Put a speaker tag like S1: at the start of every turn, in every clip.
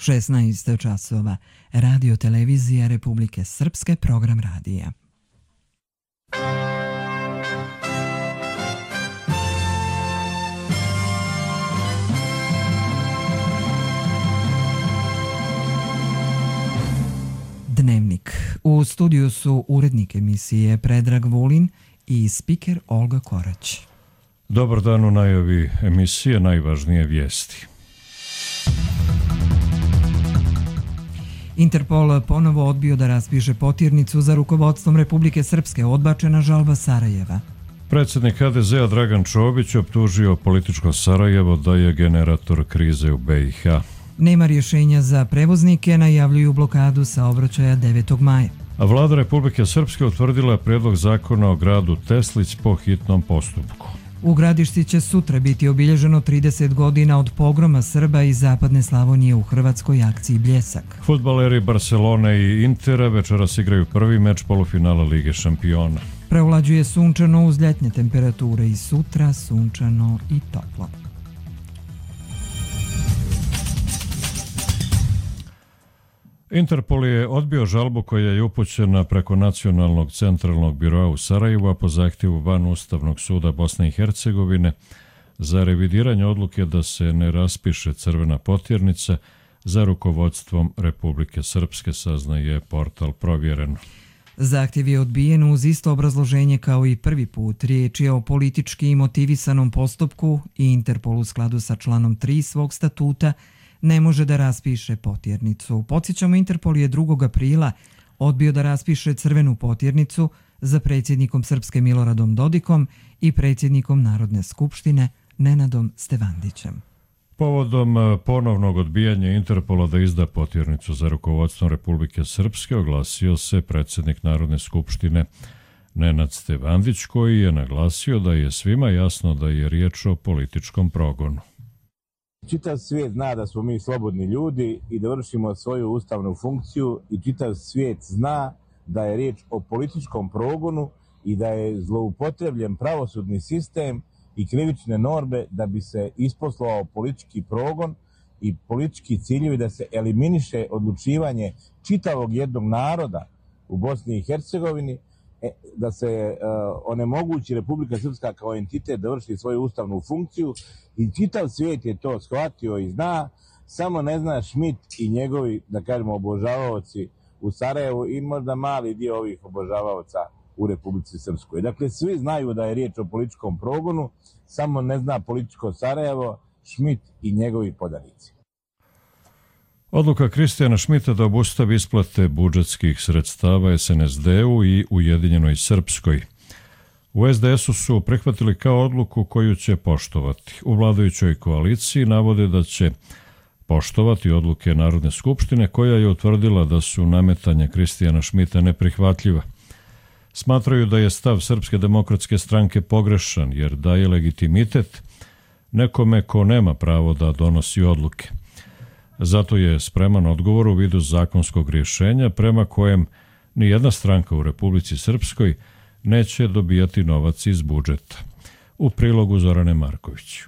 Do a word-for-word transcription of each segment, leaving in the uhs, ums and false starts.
S1: šesnaest časova. Radio Televizija Republike Srpske, program radija. Dnevnik. U studiju su urednik emisije Predrag Vulin i spiker Olga Korać.
S2: Dobar dan, u najavi emisije najvažnije vijesti.
S1: Interpol ponovo odbio da raspiše potirnicu za rukovodstvom Republike Srpske, odbačena žalba Sarajeva.
S2: Predsjednik ha de zea Dragan Čović optužio političko Sarajevo da je generator krize u be i ha.
S1: Nema rješenja za prevoznike, najavljuju blokadu saobraćaja devetog maja.
S2: A vlada Republike Srpske utvrdila je prijedlog zakona o gradu Teslić po hitnom postupku.
S1: U Gradišci će sutra biti obilježeno trideset godina od pogroma Srba iz zapadne Slavonije u hrvatskoj akciji Bljesak.
S2: Fudbaleri Barcelone i Intera večeras igraju prvi meč polufinala Lige šampiona.
S1: Preovlađuje sunčano uz ljetne temperature i sutra sunčano i toplo.
S2: Interpol je odbio žalbu koja je upućena preko Nacionalnog centralnog biroa u Sarajevu, a po zahtjevu van Ustavnog suda Bosne i Hercegovine za revidiranje odluke da se ne raspiše crvena potjernica za rukovodstvom Republike Srpske, saznaje portal Provjereno.
S1: Zahtjev je odbijen uz isto obrazloženje kao i prvi put. Riječ je o politički motivisanom postupku i Interpol u skladu sa članom tri svog statuta ne može da raspiše potjernicu. Podsjećamo, Interpol je drugog aprila odbio da raspiše crvenu potjernicu za predsjednikom Srpske Miloradom Dodikom i predsjednikom Narodne skupštine Nenadom Stevandićem.
S2: Povodom ponovnog odbijanja Interpola da izda potjernicu za rukovodstvom Republike Srpske oglasio se predsjednik Narodne skupštine Nenad Stevandić, koji je naglasio da je svima jasno da je riječ o političkom progonu.
S3: Čitav svijet zna da smo mi slobodni ljudi i da vršimo svoju ustavnu funkciju i čitav svijet zna da je riječ o političkom progonu i da je zloupotrebljen pravosudni sistem i krivične norme da bi se isposlovao politički progon i politički ciljevi da se eliminiše odlučivanje čitavog jednog naroda u Bosni i Hercegovini, da se uh, onemogući Republika Srpska kao entitet da vrši svoju ustavnu funkciju i čitav svijet je to shvatio i zna, samo ne zna Šmit i njegovi, da kažemo, obožavaoci u Sarajevu i možda mali dio ovih obožavaoca u Republici Srpskoj. Dakle, svi znaju da je riječ o političkom progonu, samo ne zna političko Sarajevo, Šmit i njegovi podanici.
S2: Odluka Kristijana Šmita da obustavi isplate budžetskih sredstava es en es de-u i Ujedinjenoj Srpskoj. U es de esu su prihvatili kao odluku koju će poštovati. U vladajućoj koaliciji navode da će poštovati odluke Narodne skupštine koja je utvrdila da su nametanja Kristijana Šmita neprihvatljiva. Smatraju da je stav Srpske demokratske stranke pogrešan jer daje legitimitet nekome ko nema pravo da donosi odluke. Zato je spreman odgovor u vidu zakonskog rješenja prema kojem ni jedna stranka u Republici Srpskoj neće dobijati novac iz budžeta. U prilogu Zorane Marković.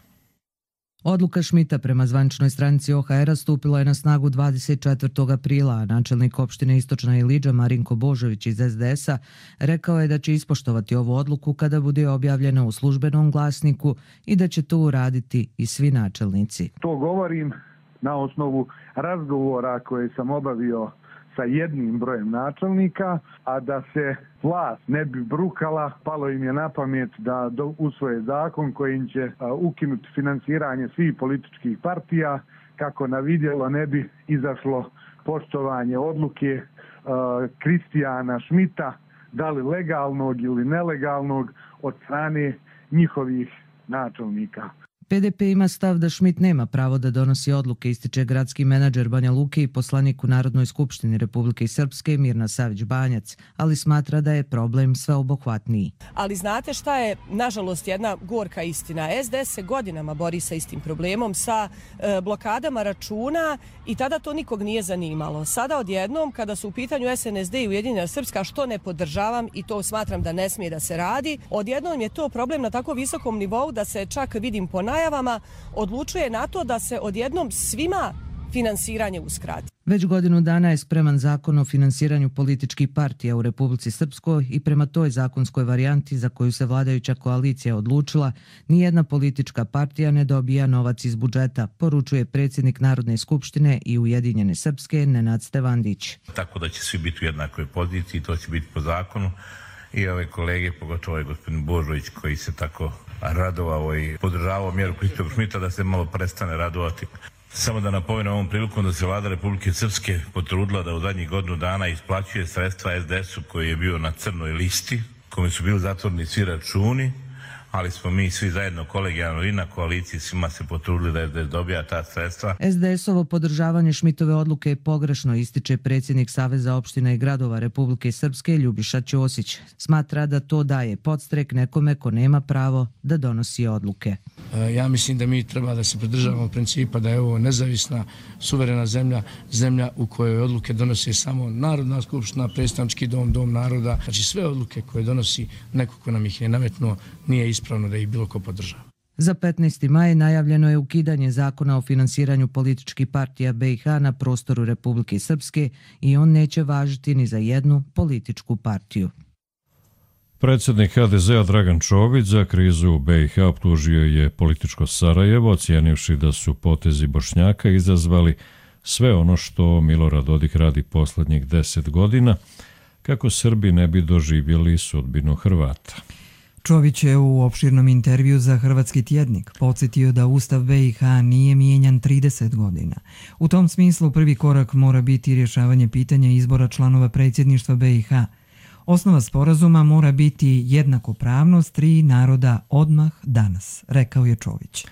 S4: Odluka Šmita prema zvaničnoj stranici o ha era stupila je na snagu dvadeset četvrtog aprila, a načelnik opštine Istočna Ilidža Marinko Božović iz es de esa rekao je da će ispoštovati ovu odluku kada bude objavljena u službenom glasniku i da će to uraditi i svi načelnici.
S5: To govorim na osnovu razgovora koje sam obavio sa jednim brojem načelnika, a da se vlast ne bi brukala, palo im je na pamet da usvoje zakon kojim će ukinuti finansiranje svih političkih partija, kako na vidjelo ne bi izašlo poštovanje odluke uh, Kristijana Šmita, da li legalnog ili nelegalnog, od strane njihovih načelnika.
S4: pe de pe ima stav da Šmit nema pravo da donosi odluke, ističe gradski menadžer Banja Luke i poslanik u Narodnoj skupštini Republike Srpske Mirna Savić-Banjac, ali smatra da je problem sveobuhvatniji.
S6: Ali znate šta je, nažalost, jedna gorka istina. es de es se godinama bori sa istim problemom, sa e, blokadama računa i tada to nikog nije zanimalo. Sada odjednom, kada su u pitanju es en es de i Ujedinjena Srpska, što ne podržavam i to smatram da ne smije da se radi, odjednom je to problem na tako visokom nivou da se čak vidim po najavama, odlučuje na to da se odjednom svima finansiranje uskrati.
S4: Već godinu dana je spreman zakon o finansiranju političkih partija u Republici Srpskoj i prema toj zakonskoj varijanti za koju se vladajuća koalicija odlučila, nijedna politička partija ne dobija novac iz budžeta, poručuje predsjednik Narodne skupštine i Ujedinjene Srpske Nenad Stevandić.
S7: Tako da će svi biti u jednakoj poziciji, to će biti po zakonu i ove kolege, pogotovo ovaj gospodin Božović koji se tako radovao i podržavao mjeru Kristijana Šmita da se malo prestane radovati. Samo da napomenem ovom prilikom da se vlada Republike Srpske potrudila da u zadnjih godinu dana isplaćuje sredstva es de esu koji je bio na crnoj listi, kome su bili zatvoreni svi računi, ali smo mi svi zajedno kolegijalno i na koaliciji svima se potrudili da es de es dobija ta sredstva.
S4: es de esovo podržavanje Šmitove odluke je pogrešno, ističe predsjednik Saveza opština i gradova Republike Srpske Ljubiša Ćosić. Smatra da to daje podstrek nekome ko nema pravo da donosi odluke.
S8: Ja mislim da mi treba da se pridržavamo principa da je ovo nezavisna, suverena zemlja, zemlja u kojoj odluke donosi samo Narodna skupština, predstavnički dom, dom naroda. Znači sve odluke koje donosi neko ko nam ih je nametnuo nije ispravno da ih bilo ko podržava.
S4: Za petnaesti maj najavljeno je ukidanje zakona o finansiranju političkih partija be i ha na prostoru Republike Srpske i on neće važiti ni za jednu političku partiju.
S2: Predsjednik ha de zea Dragan Čović za krizu u be i ha optužio je političko Sarajevo, ocijenivši da su potezi Bošnjaka izazvali sve ono što Milorad Dodik radi posljednjih deset godina, kako Srbi ne bi doživjeli sudbinu Hrvata.
S1: Čović je u opširnom intervju za Hrvatski tjednik podsjetio da Ustav be i ha nije mijenjan trideset godina. U tom smislu prvi korak mora biti rješavanje pitanja izbora članova predsjedništva be i ha. Osnova sporazuma mora biti jednakopravnost tri naroda odmah danas, rekao je Čović.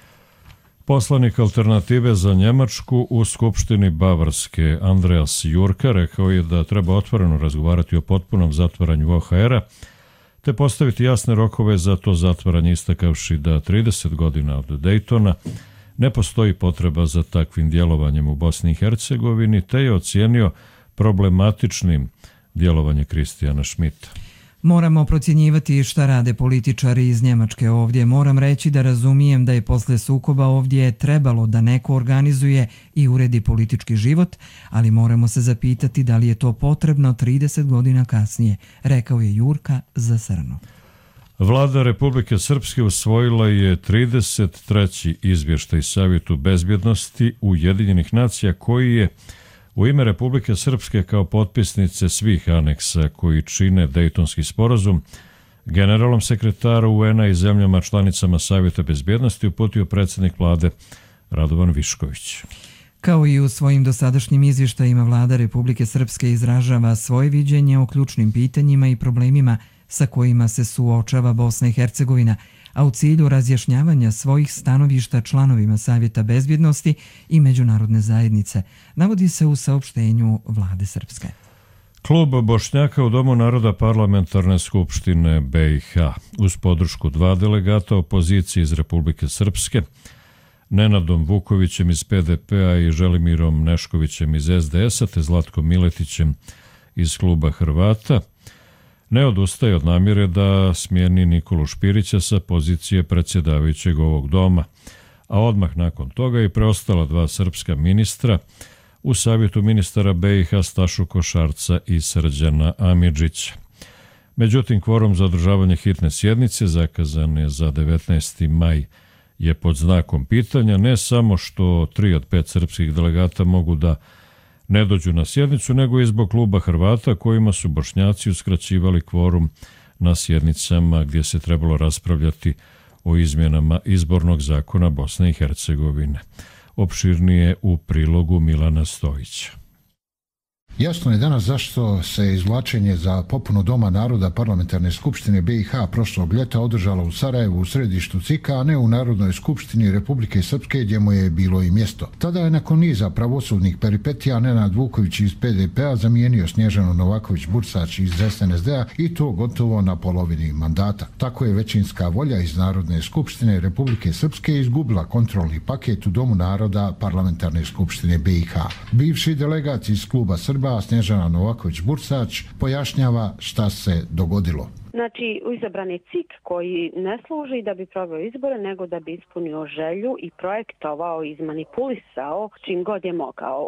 S2: Poslanik Alternative za Njemačku u Skupštini Bavarske Andreas Jurka rekao je da treba otvoreno razgovarati o potpunom zatvaranju o ha era, te postaviti jasne rokove za to zatvaranje, istakavši da trideset godina od Dejtona ne postoji potreba za takvim djelovanjem u Bosni i Hercegovini, te je ocijenio problematičnim djelovanje Kristijana Šmita.
S1: Moramo procjenjivati šta rade političari iz Njemačke ovdje. Moram reći da razumijem da je posle sukoba ovdje trebalo da neko organizuje i uredi politički život, ali moramo se zapitati da li je to potrebno trideset godina kasnije, rekao je Jurka za Srnu.
S2: Vlada Republike Srpske usvojila je trideset treći izvještaj Savjetu bezbjednosti Ujedinjenih nacija koji je u ime Republike Srpske kao potpisnice svih aneksa koji čine Dejtonski sporazum generalnom sekretaru u en a i zemljama članicama Savjeta bezbjednosti uputio predsjednik vlade Radovan Višković.
S1: Kao i u svojim dosadašnjim izvještajima, vlada Republike Srpske izražava svoje viđenje o ključnim pitanjima i problemima sa kojima se suočava Bosna i Hercegovina, a u cilju razjašnjavanja svojih stanovišta članovima Savjeta bezbjednosti i međunarodne zajednice, navodi se u saopštenju vlade Srpske.
S2: Klub Bošnjaka u Domu naroda Parlamentarne skupštine be i ha uz podršku dva delegata opozicije iz Republike Srpske, Nenadom Vukovićem iz pe de pe-a i Želimirom Neškovićem iz es de es-a te Zlatkom Miletićem iz kluba Hrvata, ne odustaje od namjere da smijeni Nikolu Špirića sa pozicije predsjedavajućeg ovog doma, a odmah nakon toga i preostala dva srpska ministra u Savjetu ministara be i ha Stašu Košarca i Srđana Amidžića. Međutim, kvorum za održavanje hitne sjednice zakazan je za devetnaesti maj je pod znakom pitanja, ne samo što tri od pet srpskih delegata mogu da ne dođu na sjednicu, nego i zbog kluba Hrvata kojima su Bošnjaci uskraćivali kvorum na sjednicama gdje se trebalo raspravljati o izmjenama izbornog zakona Bosne i Hercegovine. Opširnije u prilogu Milana Stojića.
S9: Jasno je danas zašto se izvlačenje za popunu Doma naroda Parlamentarne skupštine be i ha prošlog ljeta održalo u Sarajevu u središtu C I K-a, a ne u Narodnoj skupštini Republike Srpske gdje mu je bilo i mjesto. Tada je nakon niza pravosudnih peripetija Nenad Vuković iz pe de pe-a zamijenio Snježanu Novaković-Bursač iz es en es de-a i to gotovo na polovini mandata. Tako je većinska volja iz Narodne skupštine Republike Srpske izgubila kontrolni paket u Domu naroda Parlamentarne skupštine be i ha. Bivši delegat iz kluba Srba Snježana Novaković-Bursač pojašnjava šta se dogodilo.
S10: Znači, izabran je C I K koji ne služi da bi proveo izbore, nego da bi ispunio želju i projektovao, izmanipulisao čim god je mogao.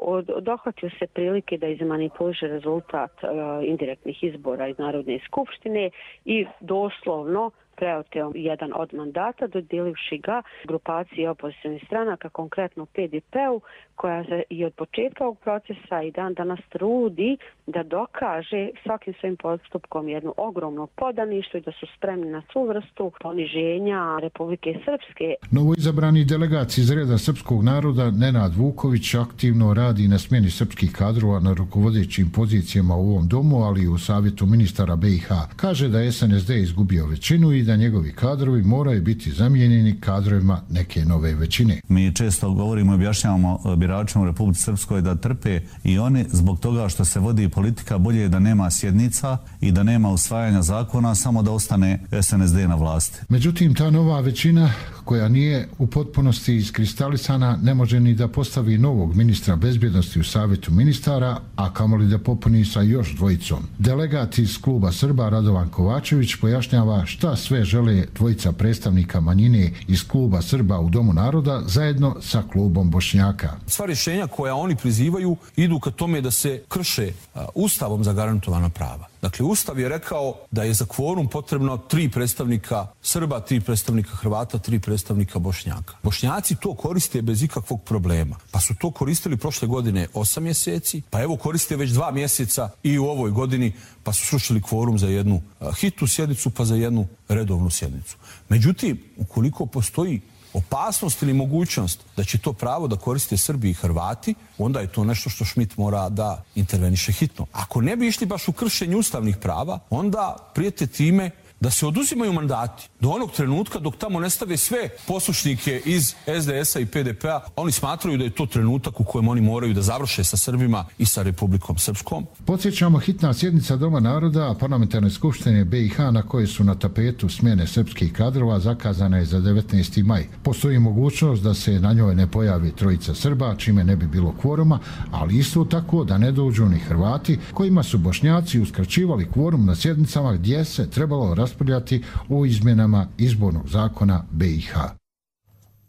S10: Dohvatio se prilike da izmanipuliše rezultat uh, indirektnih izbora iz Narodne skupštine i doslovno preoteo jedan od mandata, dodjelivši ga grupaciji opozicionih stranaka, konkretno P D P-u, koja se i od početka ovog procesa i dan danas trudi da dokaže svakim svojim postupkom jednu ogromnu podaništvo i da su spremni na svu vrstu poniženja Republike Srpske.
S9: Novoizabrani delegac iz reda srpskog naroda Nenad Vuković aktivno radi na smjeni srpskih kadrova na rukovodećim pozicijama u ovom domu, ali i u Savjetu ministara B i H. Kaže da je S N S D izgubio većinu i da njegovi kadrovi moraju biti zamijenjeni kadrovima neke nove većine.
S11: Mi često govorimo i objašnjavamo biračima u Republici Srpskoj da trpe i oni zbog toga što se vodi politika, bolje je da nema sjednica i da nema usvajanja zakona, samo da ostane S N S D na vlasti.
S9: Međutim, ta nova većina koja nije u potpunosti iskristalisana ne može ni da postavi novog ministra bezbjednosti u Savjetu ministara, a kamoli da popuni sa još dvojicom. Delegat iz kluba Srba Radovan Kovačević pojašnjava šta sve žele dvojica predstavnika manjine iz kluba Srba u Domu naroda zajedno sa klubom Bošnjaka.
S12: Sva rješenja koja oni prizivaju idu ka tome da se krše Ustavom zagarantovana prava. Dakle, Ustav je rekao da je za kvorum potrebno tri predstavnika Srba, tri predstavnika Hrvata, tri predstavnika Bošnjaka. Bošnjaci to koriste bez ikakvog problema. Pa su to koristili prošle godine osam mjeseci, pa evo koriste već dva mjeseca i u ovoj godini, pa su srušili kvorum za jednu hitnu sjednicu, pa za jednu redovnu sjednicu. Međutim, ukoliko postoji opasnost ili mogućnost da će to pravo da koriste Srbi i Hrvati, onda je to nešto što Schmidt mora da interveniše hitno. Ako ne bi išli baš u kršenje ustavnih prava, onda prijete time da se oduzimaju mandati do onog trenutka dok tamo ne stave sve poslušnike iz S D S-a i P D P-a. Oni smatraju da je to trenutak u kojem oni moraju da završe sa Srbima i sa Republikom Srpskom.
S9: Podsjećamo, hitna sjednica Doma naroda Parlamentarne skupštine B i H na koje su na tapetu smjene srpskih kadrova zakazana je za devetnaesti maj. Postoji mogućnost da se na njoj ne pojavi trojica Srba, čime ne bi bilo kvoruma, ali isto tako da ne dođu ni Hrvati, kojima su Bošnjaci uskraćivali kvorum na sjednicama gdje se trebalo raspravljati o izmjenama izbornog zakona B i H.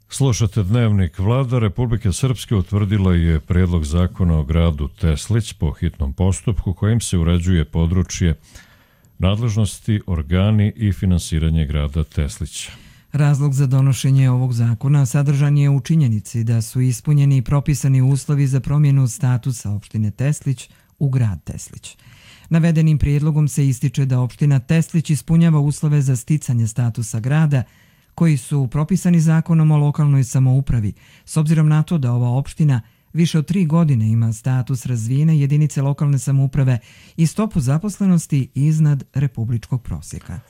S2: Slušate dnevnik. Vlada Republike Srpske utvrdila je prijedlog zakona o gradu Teslić po hitnom postupku kojim se uređuje područje nadležnosti, organi i finansiranje grada Teslića.
S1: Razlog za donošenje ovog zakona sadržan je u činjenici da su ispunjeni propisani uslovi za promjenu statusa opštine Teslić u grad Teslić. Navedenim prijedlogom se ističe da opština Teslić ispunjava uslove za sticanje statusa grada koji su propisani zakonom o lokalnoj samoupravi, s obzirom na to da ova opština više od tri godine ima status razvijene jedinice lokalne samouprave i stopu zaposlenosti iznad republičkog prosjeka.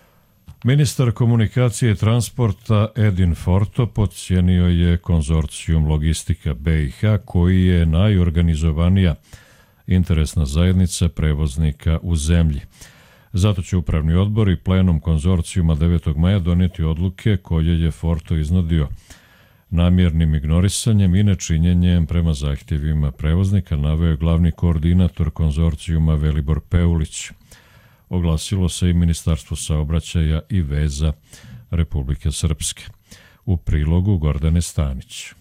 S2: Ministar komunikacije i transporta Edin Forto podcijenio je konzorcijum Logistika B i H koji je najorganizovanija interesna zajednica prevoznika u zemlji. Zato će upravni odbor i plenum konzorcijuma devetog maja donijeti odluke koje je Forto iznudio namjernim ignorisanjem i nečinjenjem prema zahtjevima prevoznika, naveo je glavni koordinator konzorcijuma Velibor Peulić. Oglasilo se i Ministarstvo saobraćaja i veza Republike Srpske. U prilogu Gordane Stanić.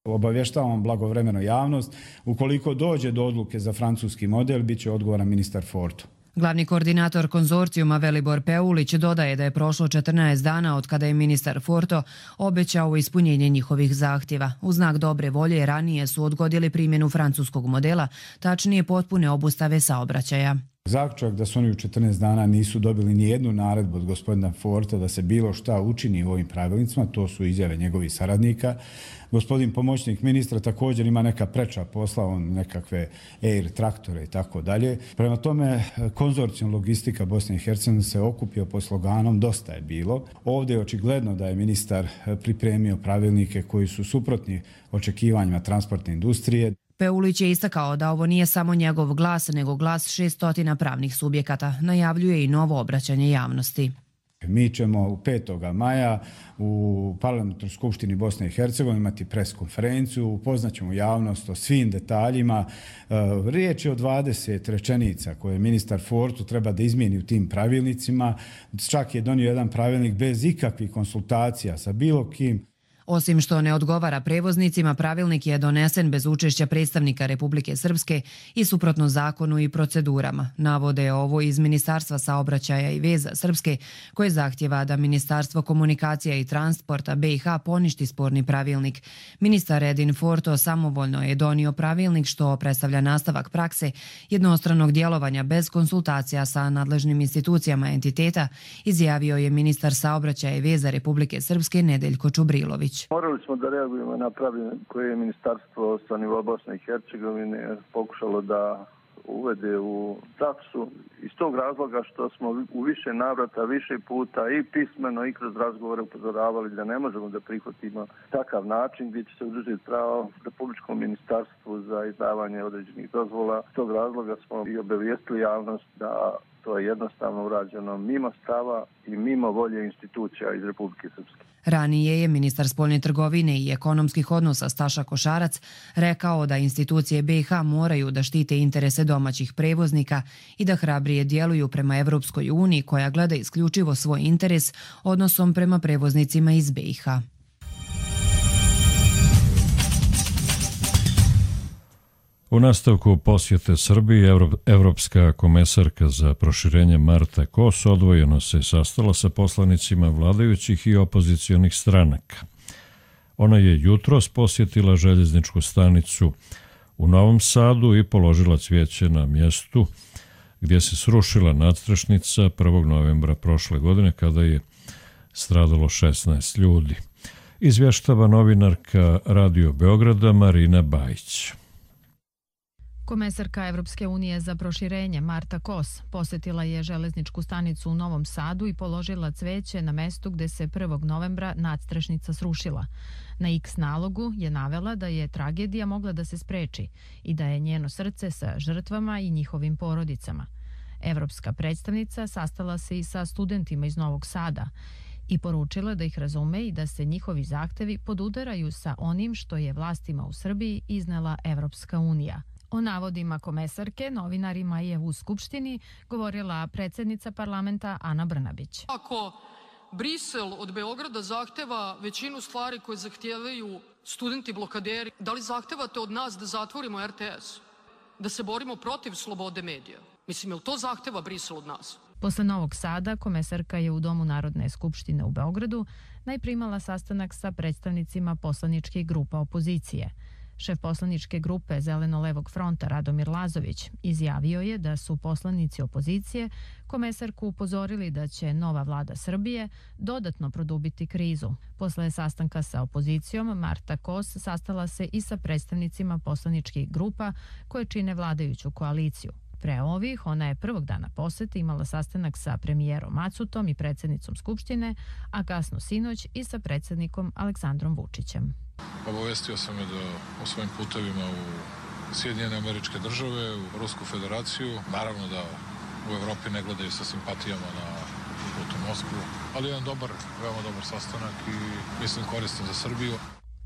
S13: Obavještavamo blagovremeno javnost. Ukoliko dođe do odluke za francuski model, bit će odgovoran ministar Forto.
S4: Glavni koordinator konzorcijuma Velibor Peulić dodaje da je prošlo četrnaest dana od kada je ministar Forto obećao ispunjenje njihovih zahtjeva. U znak dobre volje ranije su odgodili primjenu francuskog modela, tačnije potpune obustave saobraćaja.
S13: Zaključak da su oni u četrnaest dana nisu dobili ni jednu naredbu od gospodina Forta da se bilo šta učini u ovim pravilnicima, to su izjave njegovih saradnika. Gospodin pomoćnik ministra također ima neka preča posla, on nekakve air traktore i tako dalje. Prema tome, konzorcijum Logistika Bosne i Hercegovine se okupio pod sloganom Dosta je bilo. Ovdje je očigledno da je ministar pripremio pravilnike koji su suprotni očekivanjima transportne industrije.
S4: Peulić je istakao da ovo nije samo njegov glas, nego glas šeststotina pravnih subjekata. Najavljuje i novo obraćanje javnosti.
S13: Mi ćemo petog maja u Parlamentarnoj skupštini Bosne i Hercegovine imati pres konferenciju, upoznaćemo javnost o svim detaljima. Riječ je o dvadeset rečenica koje ministar Fortu treba da izmijeni u tim pravilnicima. Čak je donio jedan pravilnik bez ikakvih konsultacija sa bilo kim.
S4: Osim što ne odgovara prevoznicima, pravilnik je donesen bez učešća predstavnika Republike Srpske i suprotno zakonu i procedurama. Navode ovo iz Ministarstva saobraćaja i veza Srpske, koje zahtjeva da Ministarstvo komunikacija i transporta B i H poništi sporni pravilnik. Ministar Edin Forto samovoljno je donio pravilnik što predstavlja nastavak prakse jednostranog djelovanja bez konsultacija sa nadležnim institucijama entiteta, izjavio je ministar saobraćaja i veza Republike Srpske Nedeljko Čubrilović.
S14: Morali smo da reagujemo na pravilnik koje je ministarstvo sa nivoa Bosne i Hercegovine pokušalo da uvede u praksu iz tog razloga što smo u više navrata, više puta i pismeno i kroz razgovore upozoravali da ne možemo da prihvatimo takav način gdje će se oduzeti pravo Republičkom ministarstvu za izdavanje određenih dozvola. Z tog razloga smo i obavijestili javnost da to je jednostavno urađeno mimo stava i mimo volje institucija iz Republike Srpske.
S4: Ranije je ministar spoljne trgovine i ekonomskih odnosa Staša Košarac rekao da institucije B i H moraju da štite interese domaćih prevoznika i da hrabrije djeluju prema Evropskoj uniji koja gleda isključivo svoj interes odnosom prema prevoznicima iz B i H.
S2: U nastavku posjete Srbiji, Evropska komesarka za proširenje Marta Kos odvojeno se sastala sa poslanicima vladajućih i opozicionih stranaka. Ona je jutros posjetila željezničku stanicu u Novom Sadu i položila cvijeće na mjestu gdje se srušila nadstrešnica prvog novembra prošle godine kada je stradalo šesnaest ljudi. Izvještava novinarka Radio Beograda Marina Bajić.
S15: Komesarka Evropske unije za proširenje Marta Kos posjetila je železničku stanicu u Novom Sadu i položila cveće na mestu gdje se prvog novembra nadstrešnica srušila. Na X nalogu je navela da je tragedija mogla da se spreči i da je njeno srce sa žrtvama i njihovim porodicama. Evropska predstavnica sastala se i sa studentima iz Novog Sada i poručila da ih razume i da se njihovi zahtevi podudaraju sa onim što je vlastima u Srbiji iznela Evropska unija. O navodima komesarke novinarima je u Skupštini govorila predsjednica parlamenta Ana Brnabić.
S16: Ako Brisel od Beograda zahteva većinu stvari koje zahtijevaju studenti blokaderi, da li zahtevate od nas da zatvorimo R T S? Da se borimo protiv slobode medija? Mislim, je li to zahteva Brisel od nas?
S15: Posle Novog Sada, komesarka je u Domu Narodne skupštine u Beogradu najprimala sastanak sa predstavnicima poslaničkih grupa opozicije. Šef poslaničke grupe Zeleno-levog fronta Radomir Lazović izjavio je da su poslanici opozicije komesarku upozorili da će nova vlada Srbije dodatno produbiti krizu. Posle sastanka sa opozicijom, Marta Kos sastala se i sa predstavnicima poslaničkih grupa koje čine vladajuću koaliciju. Pre ovih, ona je prvog dana posete imala sastanak sa premijerom Macutom i predsjednicom Skupštine, a kasno sinoć i sa predsjednikom Aleksandrom Vučićem.
S17: Obavestio sam je da o svojim putevima u Sjedinjene Američke Države, u Rusku federaciju. Naravno da u Evropi ne gledaju sa simpatijama na put u Moskvu, ali jedan dobar, veoma dobar sastanak i mislim koristan za Srbiju.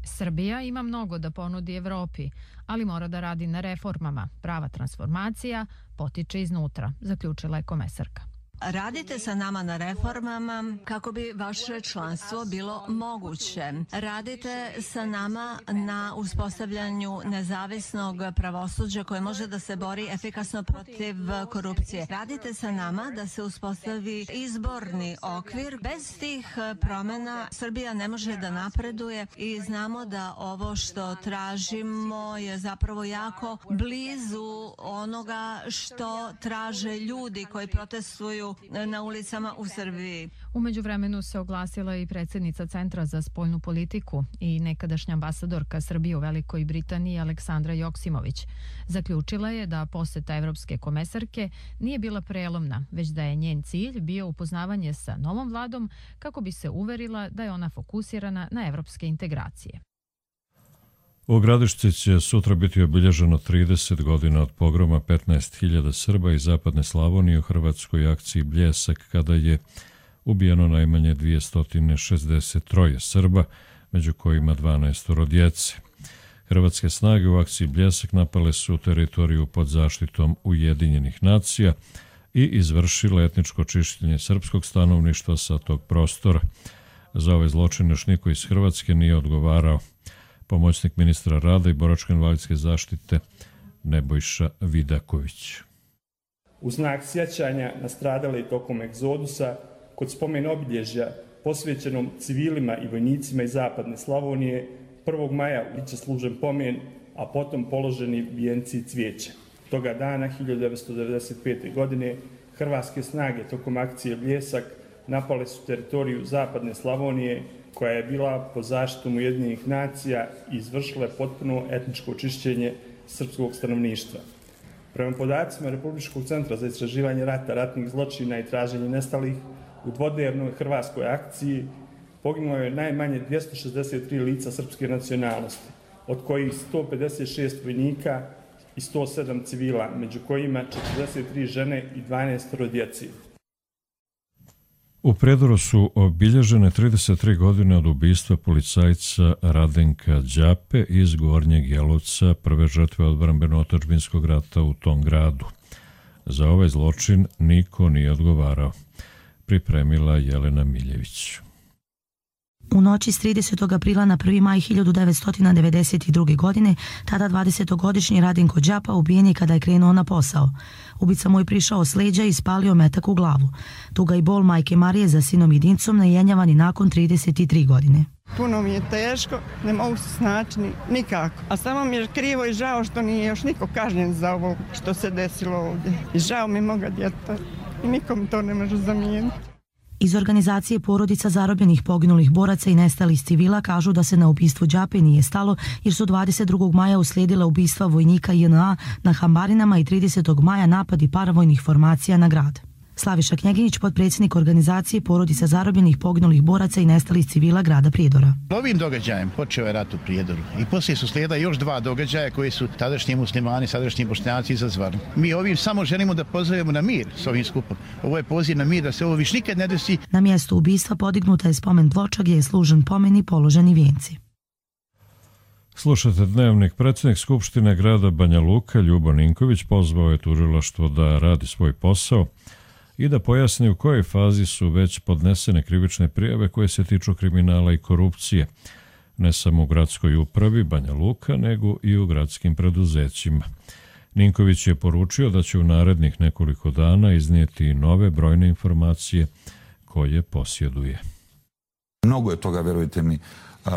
S15: Srbija ima mnogo da ponudi Evropi, ali mora da radi na reformama. Prava transformacija potiče iznutra, zaključila je komesarka.
S18: Radite sa nama na reformama kako bi vaše članstvo bilo moguće. Radite sa nama na uspostavljanju nezavisnog pravosuđa koje može da se bori efikasno protiv korupcije. Radite sa nama da se uspostavi izborni okvir. Bez tih promjena Srbija ne može da napreduje i znamo da ovo što tražimo je zapravo jako blizu onoga što traže ljudi koji protestuju na ulicama u Srbiji.
S15: U međuvremenu se oglasila i predsjednica Centra za spoljnu politiku i nekadašnja ambasadorka Srbije u Velikoj Britaniji Aleksandra Joksimović. Zaključila je da posjeta evropske komesarke nije bila prelomna, već da je njen cilj bio upoznavanje sa novom vladom kako bi se uverila da je ona fokusirana na evropske integracije.
S2: U Gradišci će sutra biti obilježeno trideset godina od pogroma petnaest hiljada Srba iz zapadne Slavonije u hrvatskoj akciji Bljesak, kada je ubijeno najmanje dvjesto šezdeset tri Srba, među kojima dvanaest djece. Hrvatske snage u akciji Bljesak napale su teritoriju pod zaštitom Ujedinjenih nacija i izvršile etničko čišćenje srpskog stanovništva sa tog prostora. Za ove zločine još niko iz Hrvatske nije odgovarao. Pomoćnik ministra rada i boračko-invalidske zaštite Nebojša Vidaković.
S19: U znak sjećanja na stradale tokom egzodusa, kod spomen obilježja posvećenom civilima i vojnicima iz zapadne Slavonije, prvog maja biće služen pomen, a potom položeni vijenci i cvijeće. Toga dana, hiljadu devetsto devedeset pete. godine, hrvatske snage tokom akcije Bljesak napale su teritoriju zapadne Slavonije, koja je bila pod zaštitom Ujedinjenih nacija i izvršila potpuno etničko očišćenje srpskog stanovništva. Prema podacima Republičkog centra za istraživanje rata, ratnih zločina i traženje nestalih, u dvodnevnoj hrvatskoj akciji poginulo je najmanje dvjesto šezdeset tri lica srpske nacionalnosti, od kojih sto pedeset šest vojnika i sto sedam civila, među kojima četrdeset tri žene i dvanaest djece.
S2: U Prijedoru su obilježene trideset tri godine od ubistva policajca Radenka Đape iz Gornjeg Jelovca, prve žrtve odbrambeno-otadžbinskog rata u tom gradu. Za ovaj zločin niko nije odgovarao. Pripremila Jelena Miljević.
S20: U noći s tridesetog aprila na prvi maj hiljadu devetsto devedeset druge. godine, tada dvadesetogodišnji Radenko Đapa ubijen je kada je krenuo na posao. Ubica mu je prišao s leđa i spalio metak u glavu. Tuga i bol majke Marije za sinom jedincom najenjavan i nakon trideset tri godine.
S21: Puno mi je teško, ne mogu se snaći nikako. A samo mi je krivo i žao što nije još niko kažnjen za ovo što se desilo ovdje. I žao mi moga djeta i nikom to ne može zamijeniti.
S20: Iz organizacije porodica zarobljenih poginulih boraca i nestalih civila kažu da se na ubistvu Đape nije stalo jer su dvadeset drugog maja uslijedila ubistva vojnika J N A na Hambarinama i tridesetog maja napadi paravojnih formacija na grad. Slaviša Knjeginić, potpredsjednik organizacije porodica zarobljenih poginulih boraca i nestalih civila grada Prijedora.
S22: Ovim događajem počeo je rat u Prijedoru i poslije su slijeda još dva događaja koji su tadašnji muslimani, sadašnji bošnjaci izazvali. Mi ovim samo želimo da pozovemo na mir s ovim skupom. Ovo je poziv na mir da se ovo više nikad ne desi.
S20: Na mjestu ubistva podignuta je spomen ploča gdje je služen pomen i položeni vijenci.
S2: Slušate Dnevnik. Predsjednik Skupštine grada Banja Luka Ljubo Ninković pozvao je tužilaštvo da radi svoj posao i da pojasni u kojoj fazi su već podnesene krivične prijave koje se tiču kriminala i korupcije, ne samo u gradskoj upravi Banja Luka, nego i u gradskim preduzećima. Ninković je poručio da će u narednih nekoliko dana iznijeti nove brojne informacije koje posjeduje.
S23: Mnogo je toga, verujte mi,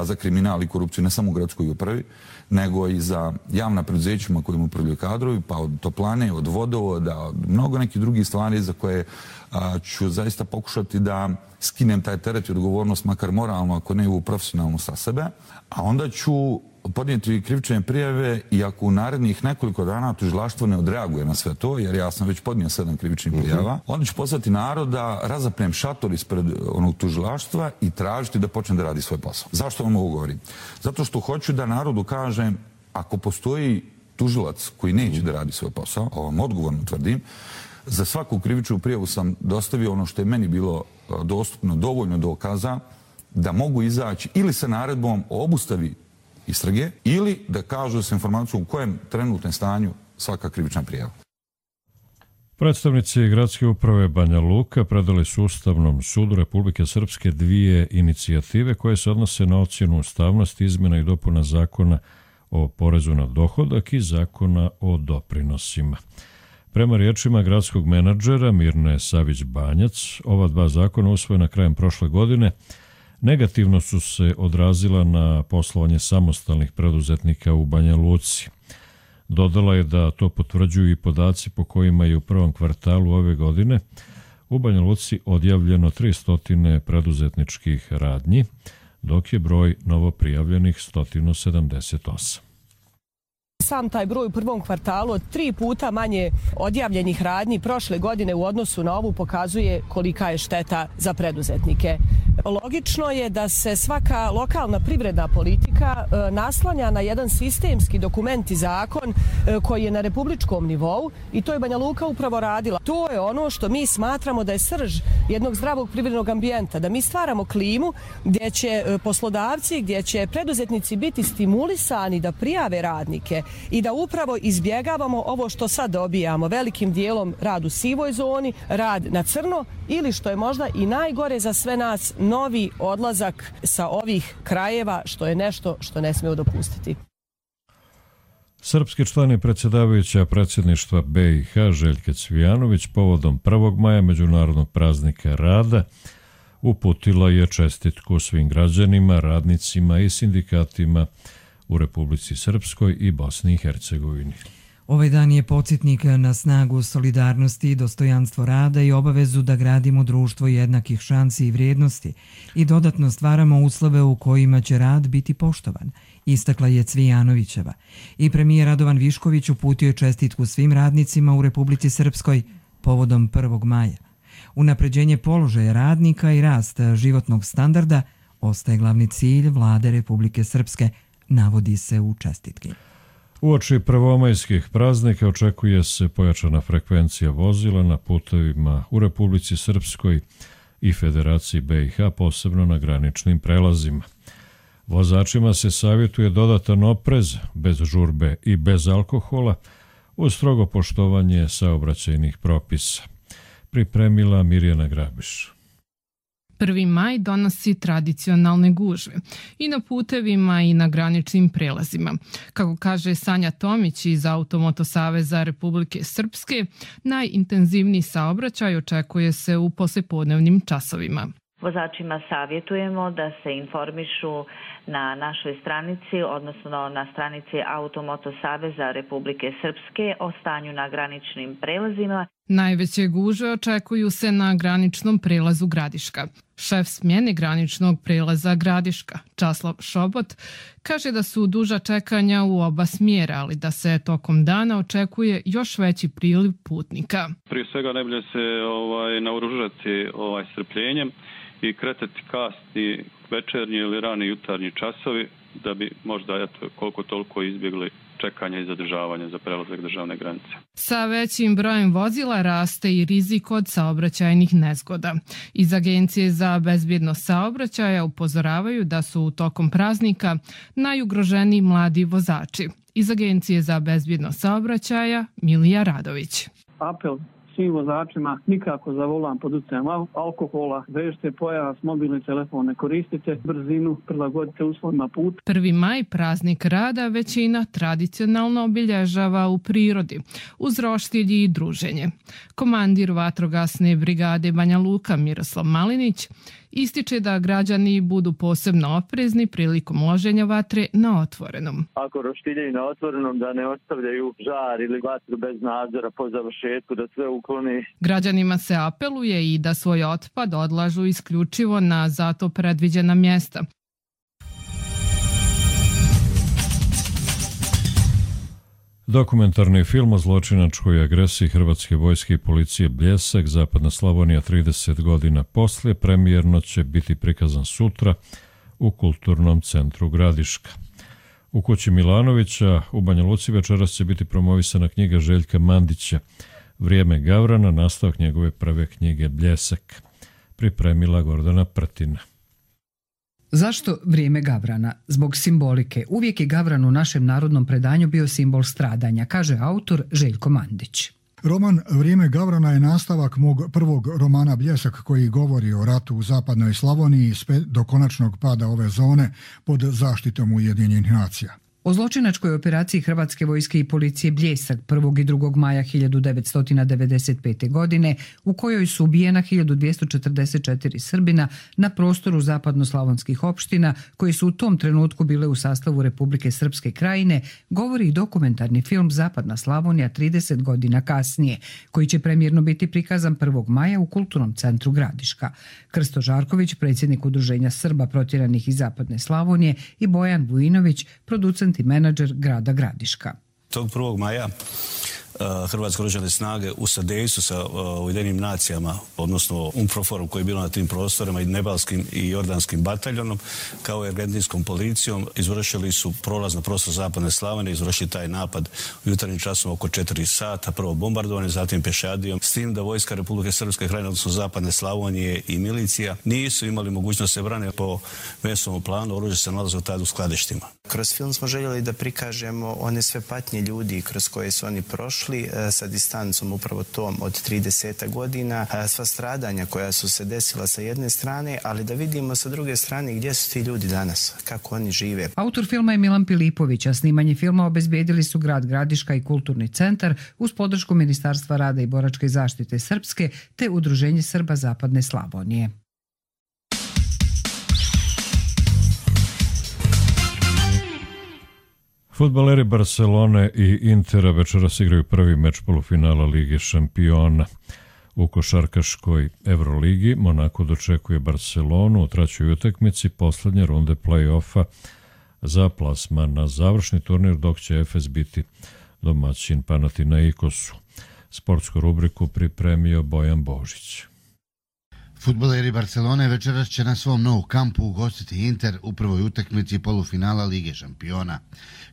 S23: za kriminal i korupciju ne samo u gradskoj upravi, nego i za javna preduzećima kojim upravljaju kadrovi, pa od toplane, od vodovoda, od mnogo nekih drugih stvari za koje a, ću zaista pokušati da skinem taj teret i odgovornost, makar moralno, ako ne u profesionalno sa sebe, a onda ću podnijeti krivične prijave i ako u narednih nekoliko dana tužilaštvo ne odreaguje na sve to, jer ja sam već podnio sedam krivičnih prijava, onda ću poslati narod da razapnem šator ispred onog tužilaštva i tražiti da počne da radi svoj posao. Zašto vam ovo govorim? Zato što hoću da narodu kažem, ako postoji tužilac koji neće da radi svoj posao, ovo vam odgovorno tvrdim, za svaku krivičnu prijavu sam dostavio ono što je meni bilo dostupno, dovoljno dokaza da mogu izaći ili sa naredbom o obustavi istrage ili da kažu sa informacijom u kojem trenutnom stanju svaka krivična prijava.
S2: Predstavnici gradske uprave Banja Luka predali su Ustavnom sudu Republike Srpske dvije inicijative koje se odnose na ocjenu ustavnosti izmjena i dopuna zakona o porezu na dohodak i zakona o doprinosima. Prema riječima gradskog menadžera Mirne Savić-Banjac, ova dva zakona usvojena krajem prošle godine negativno su se odrazila na poslovanje samostalnih preduzetnika u Banja Luci. Dodala je da to potvrđuju i podaci po kojima je u prvom kvartalu ove godine u Banja Luci odjavljeno tristo preduzetničkih radnji, dok je broj novoprijavljenih sto sedamdeset osam.
S6: Sam taj broj u prvom kvartalu od tri puta manje odjavljenih radnji prošle godine u odnosu na ovu pokazuje kolika je šteta za preduzetnike. Logično je da se svaka lokalna privredna politika naslanja na jedan sistemski dokument i zakon koji je na republičkom nivou i to je Banja Luka upravo radila. To je ono što mi smatramo da je srž jednog zdravog privrednog ambijenta, da mi stvaramo klimu gdje će poslodavci, gdje će preduzetnici biti stimulisani da prijave radnike i da upravo izbjegavamo ovo što sad dobijamo, velikim dijelom rad u sivoj zoni, rad na crno ili što je možda i najgore za sve nas, novi odlazak sa ovih krajeva, što je nešto što ne smijemo dopustiti.
S2: Srpski član i predsjedavajuća predsjedništva B i H Željka Cvijanović povodom prvog maja Međunarodnog praznika rada uputila je čestitku svim građanima, radnicima i sindikatima u Republici Srpskoj i Bosni i Hercegovini.
S1: Ovaj dan je podsjetnik na snagu solidarnosti, dostojanstvo rada i obavezu da gradimo društvo jednakih šansi i vrijednosti i dodatno stvaramo uslove u kojima će rad biti poštovan, istakla je Cvijanovićeva. I premijer Radovan Višković uputio je čestitku svim radnicima u Republici Srpskoj povodom prvog maja. Unapređenje položaja radnika i rast životnog standarda ostaje glavni cilj vlade Republike Srpske, navodi se u čestitki.
S2: Uoči prvomajskih praznika očekuje se pojačana frekvencija vozila na putevima u Republici Srpskoj i Federaciji B i H, posebno na graničnim prelazima. Vozačima se savjetuje dodatan oprez, bez žurbe i bez alkohola, uz strogo poštovanje saobraćajnih propisa. Pripremila Mirjana Grabiš.
S3: Prvi maj donosi tradicionalne gužve i na putevima i na graničnim prelazima. Kako kaže Sanja Tomić iz Automoto Saveza Republike Srpske, najintenzivniji saobraćaj očekuje se u poslijepodnevnim časovima.
S5: Vozačima savjetujemo da se informišu na našoj stranici, odnosno na stranici Automoto Saveza Republike Srpske o stanju na graničnim prelazima.
S3: Najveće gužve očekuju se na graničnom prelazu Gradiška. Šef smjene graničnog prelaza Gradiška, Časlav Šobot, kaže da su duža čekanja u oba smjera, ali da se tokom dana očekuje još veći priliv putnika.
S7: Prije svega najbolje se ovaj, naoružati ovaj, strpljenjem i kretati kasni večernji ili rani jutarnji časovi da bi možda eto, koliko toliko izbjegli čekanja i zadržavanja za prelazak državne granice.
S3: Sa većim brojem vozila raste i rizik od saobraćajnih nezgoda. Iz Agencije za bezbjednost saobraćaja upozoravaju da su tokom praznika najugroženiji mladi vozači. Iz Agencije za bezbjednost saobraćaja Milija Radović.
S24: Apel svim vozačima, nikako za volan pod utjecajem alkohola, vežite pojas, mobilni telefon, ne koristite brzinu, prilagodite uslovima puta.
S3: Prvi maj, praznik rada, većina tradicionalno obilježava u prirodi, uz roštilj i druženje. Komandir vatrogasne brigade Banja Luka Miroslav Malinić ističe da građani budu posebno oprezni prilikom loženja vatre na otvorenom.
S25: Ako roštiljaju na otvorenom, da ne ostavljaju žar ili vatru bez nadzora po završetku, da sve ukloni.
S3: Građanima se apeluje i da svoj otpad odlažu isključivo na zato predviđena mjesta.
S2: Dokumentarni film o zločinačkoj agresiji hrvatske vojske i policije Bljesak, Zapadna Slavonija trideset godina poslije, premijerno će biti prikazan sutra u Kulturnom centru Gradiška. U kući Milanovića u Banja Luci večeras će biti promovisana knjiga Željka Mandića Vrijeme Gavrana, nastavak njegove prve knjige Bljesak. Pripremila Gordana Prtina.
S4: Zašto vrijeme Gavrana? Zbog simbolike. Uvijek je Gavran u našem narodnom predanju bio simbol stradanja, kaže autor Željko Mandić.
S26: Roman Vrijeme Gavrana je nastavak mog prvog romana Bljesak koji govori o ratu u zapadnoj Slavoniji do konačnog pada ove zone pod zaštitom Ujedinjenih nacija.
S4: O zločinačkoj operaciji Hrvatske vojske i policije Bljesak prvog i drugog maja hiljadu devetsto devedeset pete. godine, u kojoj su ubijena hiljadu dvjesto četrdeset četiri Srbina na prostoru zapadnoslavonskih opština koji su u tom trenutku bile u sastavu Republike Srpske krajine, govori i dokumentarni film Zapadna Slavonija trideset godina kasnije, koji će premijerno biti prikazan prvog maja u Kulturnom centru Gradiška. Krsto Žarković, predsjednik Udruženja Srba protjeranih iz Zapadne Slavonije, i Bojan Vujinović, producent i menadžer grada Gradiška.
S27: Tog prvog maja
S8: Hrvatske oružane snage u sadejstvu sa Ujedinjenim nacijama, odnosno UNPROFOR-om koji je bilo na tim prostorima i Nepalskim i Jordanskim bataljonom, kao i argentinskom policijom, izvršili su prolaz na prostor Zapadne Slavonije, izvršili taj napad u jutarnjim časima oko četiri sata, prvo bombardovanje, zatim pešadijom, s tim da vojska Republike Srpske krajine, odnosno Zapadne Slavonije i milicija nisu imali mogućnost se brane po mesovnom planu, oružje se nalazilo tada u skladištima.
S9: Kroz film smo željeli da prikažemo one sve patnje ljudi kroz koje su oni prošli sa distancom upravo tom od trideset godina, sva stradanja koja su se desila sa jedne strane, ali da vidimo sa druge strane gdje su ti ljudi danas, kako oni žive.
S10: Autor filma je Milan Pilipović, a snimanje filma obezbedili su grad Gradiška i Kulturni centar uz podršku Ministarstva rada i boračke zaštite Srpske te Udruženje Srba Zapadne Slavonije.
S2: Fudbaleri Barcelone i Intera večeras igraju prvi meč polufinala Lige šampiona. U košarkaškoj Euroligi Monako dočekuje Barcelonu u trećoj utakmici poslednje runde play-offa za plasman na završni turnir, dok će Efes biti domaćin Panathinaikosu. Sportsku rubriku pripremio Bojan Božić.
S11: Fudbaleri Barcelone večeras će na svom Nou kampu ugostiti Inter u prvoj utakmici polufinala Lige šampiona.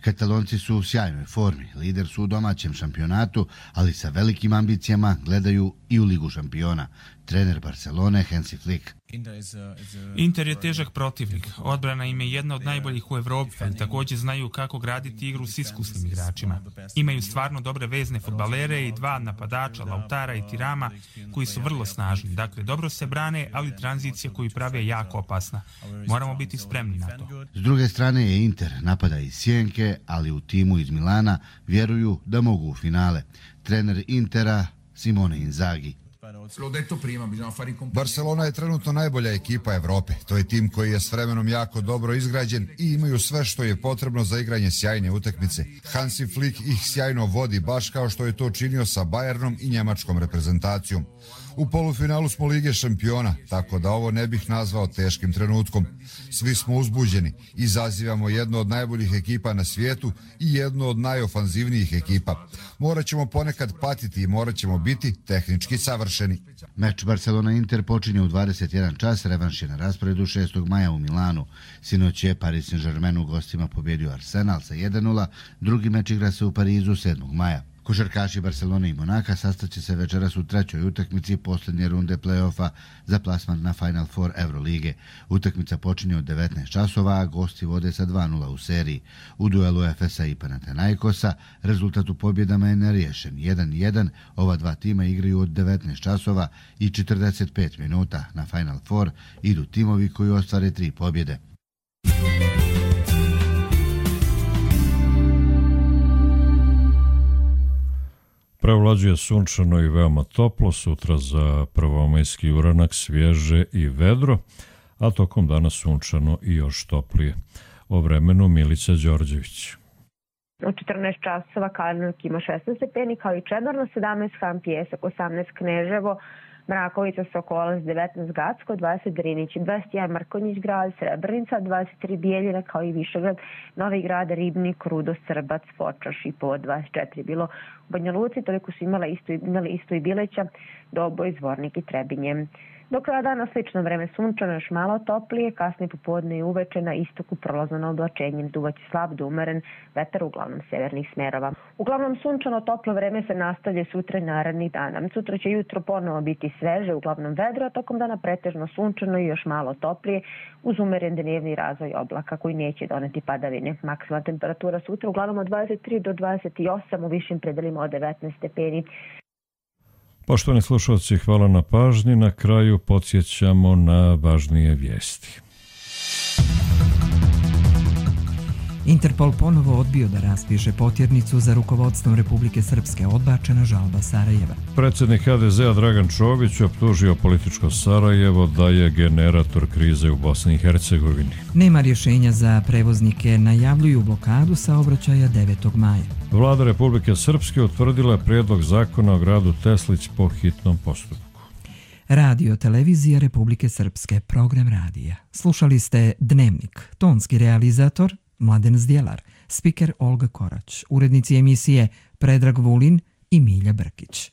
S11: Katalonci su u sjajnoj formi, lider su u domaćem šampionatu, ali sa velikim ambicijama gledaju i u Ligu šampiona. Trener Barcelone Hansi Flick.
S12: Inter je težak protivnik. Odbrana im je jedna od najboljih u Evropi, ali također znaju kako graditi igru s iskusnim igračima. Imaju stvarno dobre vezne fudbalere i dva napadača, Lautara i Tirama, koji su vrlo snažni. Dakle, dobro se brane, ali tranzicija koju prave je jako opasna. Moramo biti spremni na to.
S11: S druge strane je Inter, napada iz Sjenke, ali u timu iz Milana vjeruju da mogu u finale. Trener Intera Simone Inzaghi.
S13: Barcelona je trenutno najbolja ekipa Evrope. To je tim koji je s vremenom jako dobro izgrađen i imaju sve što je potrebno za igranje sjajne utakmice. Hansi Flick ih sjajno vodi, baš kao što je to činio sa Bayernom i njemačkom reprezentacijom. U polufinalu smo Lige šampiona, tako da ovo ne bih nazvao teškim trenutkom. Svi smo uzbuđeni, izazivamo jednu od najboljih ekipa na svijetu i jednu od najofanzivnijih ekipa. Morat ćemo ponekad patiti i morat ćemo biti tehnički savršeni.
S11: Meč Barcelona-Inter počinje u dvadeset jedan čas, revanš je na rasporedu šestog maja u Milanu. Sinoć je Paris Saint-Germain u gostima pobjedio Arsenal sa jedan nula, drugi meč igra se u Parizu sedmog maja. Košarkaši Barcelone i Monaka sastaće se večeras u trećoj utakmici posljednje runde play-offa za plasman na Final Four Eurolige. Utakmica počinje od devetnaest časova, a gosti vode sa dva nula u seriji. U duelu Efesa i Panathinaikosa rezultat u pobjedama je neriješen. jedan jedan, ova dva tima igraju od devetnaest časova i četrdeset pet minuta. Na Final Four idu timovi koji ostvare tri pobjede.
S2: Prevlađuje sunčano i veoma toplo, sutra za prvomajski uranak svježe i vedro, a tokom dana sunčano i još toplije. O vremenu Milica Đorđević.
S27: U četrnaest časova Karlovki ima šesnaest stepeni, kao i Čedomir sedamnaest, Han Pijesak osamnaest, Kneževo, Mrakovica, Sokolac devetnaest, Gacko dvadeset, Drinić dvadeset jedan, Mrkonjić grad, Srebrenica dvadeset tri, Bijeljina kao i Višegrad, Novi Grad, Ribnik, Rudo, Srbac, Foča, Šipovo dvadeset četiri. Bilo u Banja Luci, toliko su imala isto, imali isto i Bileća, Doboj, Zvornik i Trebinje. Do kraja dana slično vreme sunčano, još malo toplije, kasnije popodne i uveče na istoku prolazno na oblačenjem, duvaće slab do umeren vetar uglavnom severnih smerova. Uglavnom sunčano toplo vreme se nastavlja sutra i narednih dana. Sutra će jutro ponovo biti sveže, uglavnom vedro, a tokom dana pretežno sunčano i još malo toplije, uz umeren dnevni razvoj oblaka koji neće doneti padavine. Maksimalna temperatura sutra uglavnom od dvadeset tri do dvadeset osam, u višim predelima od devetnaest stepeni.
S2: Poštovani slušalci, hvala na pažnji. Na kraju podsjećamo na važnije vijesti.
S1: Interpol ponovo odbio da raspiše potjernicu za rukovodstvom Republike Srpske, odbačena žalba Sarajeva.
S2: Predsjednik ha de zea Dragan Čović optužio političko Sarajevo da je generator krize u Bosni i Hercegovini.
S1: Nema rješenja za prevoznike, najavljuju blokadu saobraćaja devetog maja.
S2: Vlada Republike Srpske utvrdila prijedlog zakona o gradu Teslić po hitnom postupku.
S1: Radio Televizija Republike Srpske, program radija. Slušali ste Dnevnik, tonski realizator Mladen Zdjelar, spiker Olga Korać, urednici emisije Predrag Vulin, i Milja Brkić.